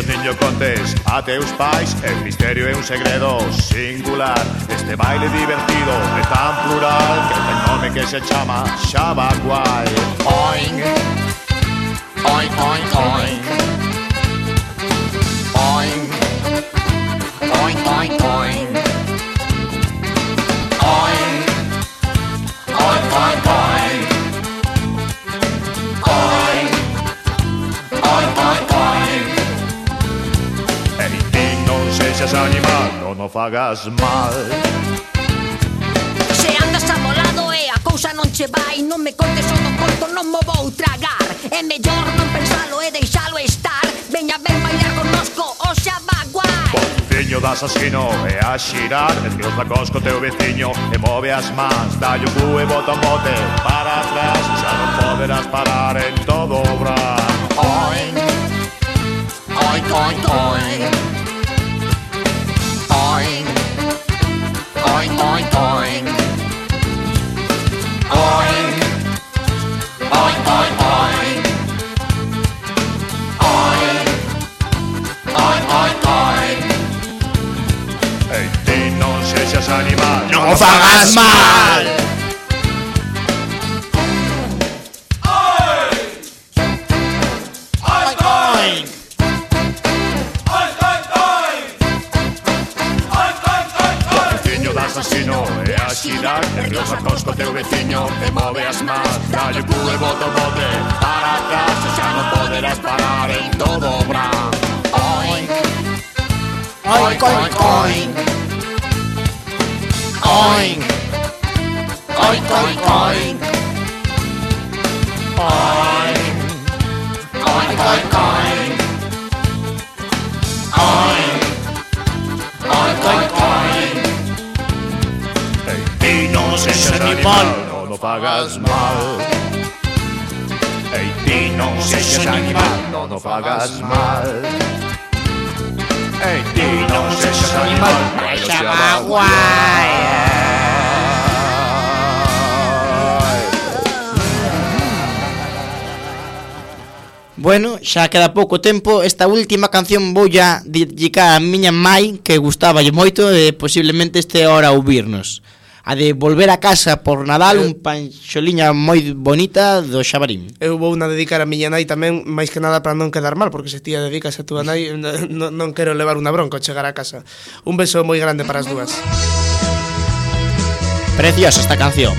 Niño, contes a teus pais, el misterio é un segredo singular. Este baile divertido é tan plural que ten nome que se chama Xaba Guai. Oink, oink, oink, oink, oink, oink, oink, oink, oink, oink, oink, oink, oink, oink, oink, oink. Sexas animal, non o fagas mal. Se andas amolado e a cousa non che vai, non me contes o do corpo, non mo vou tragar. É mellor non pensalo e deixalo estar. Veña ben bailar connosco o Xaba Guai. Contiño de asasino e a xirar, esquios da cosco teu veciño e move as mans, dalle o cu e bota un bote para atrás, xa non poderás parar en todo o bra. Oink, oink, oink, oink, oink, oink, oink, oink, oink, oink, oink, oink, oink, oink, oink, oink. Ei, ti non sexas animal, Non o fagas mal. xirar, nerviosa cosco teu veciño e move as mans, dalle cu e bota o bote para atrás, xa non poderás parar en todo o bran. Oink, oink, oink, oink, oink, oink, oink, oink, oink, oink, oink, oink, oink, oink, oink, oink. Ei, non sexas animal, non o fagas mal. Ei, ti non sexas animal, non o fagas mal. Ei, ti non sexas animal, non o Xaba Guai. Bueno, xa queda pouco tempo. Esta última canción voulla dedicar a miña mai, que gustaballe moito e posiblemente este hora a ouvirnos. A de Volver a casa por Nadal, un panxoliña moi bonita do Xabarín. Eu vou na dedicar a miña nai tamén, máis que nada para non quedar mal, porque se ti a dedicas a túa nai non, non quero levar unha bronca ao chegar a casa. Un beso moi grande para as dúas. Preciosa esta canción.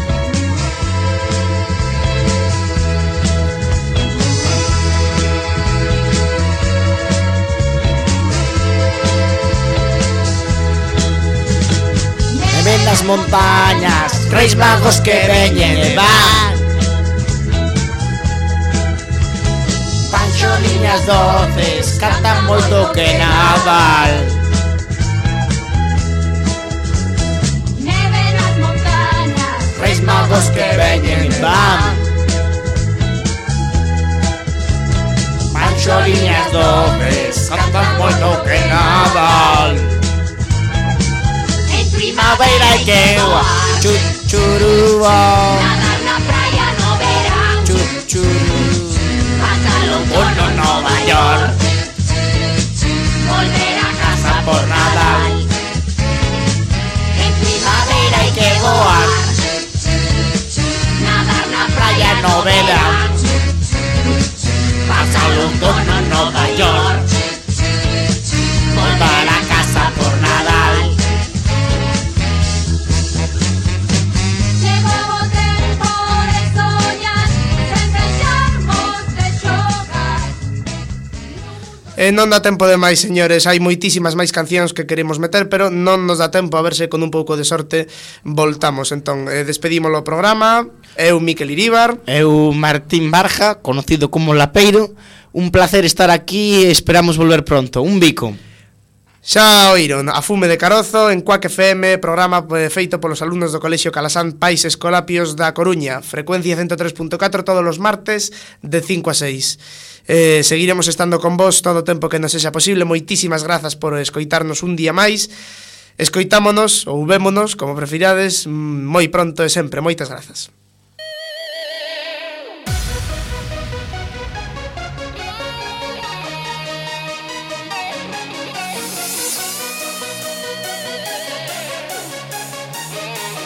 Ven las montañas, reis magos que veñen e van, panxoliñas doces, cantan moito que Nadal. Neve nas montañas, Reis magos que veñen e van, panxoliñas doces, cantan moito que Nadal. Primavera e que chuchurúa, nadar na praia no verán, chuchurú, pasar Eh, non dá tempo de máis, señores. Hai moitísimas máis cancións que queremos meter, pero non nos dá tempo. A ver se con un pouco de sorte voltamos. Entón, eh, despedimos o programa. Eu, Miquel Iríbar. Eu, Martín Barja, conocido como Lapeiro. Un placer estar aquí e esperamos volver pronto. Un bico. Xa oíron, A Fume de Carozo en Cuac F M, programa feito polos alumnos do Colexio Calasán Pais Escolapios da Coruña, frecuencia ciento tres punto catro todos os martes de cinco a seis. Eh, seguiremos estando con vos todo o tempo que nos sexa posible. Moitísimas grazas por escoitarnos un día máis. Escoitámonos ou vémonos, como prefirades, moi pronto e sempre. Moitas grazas.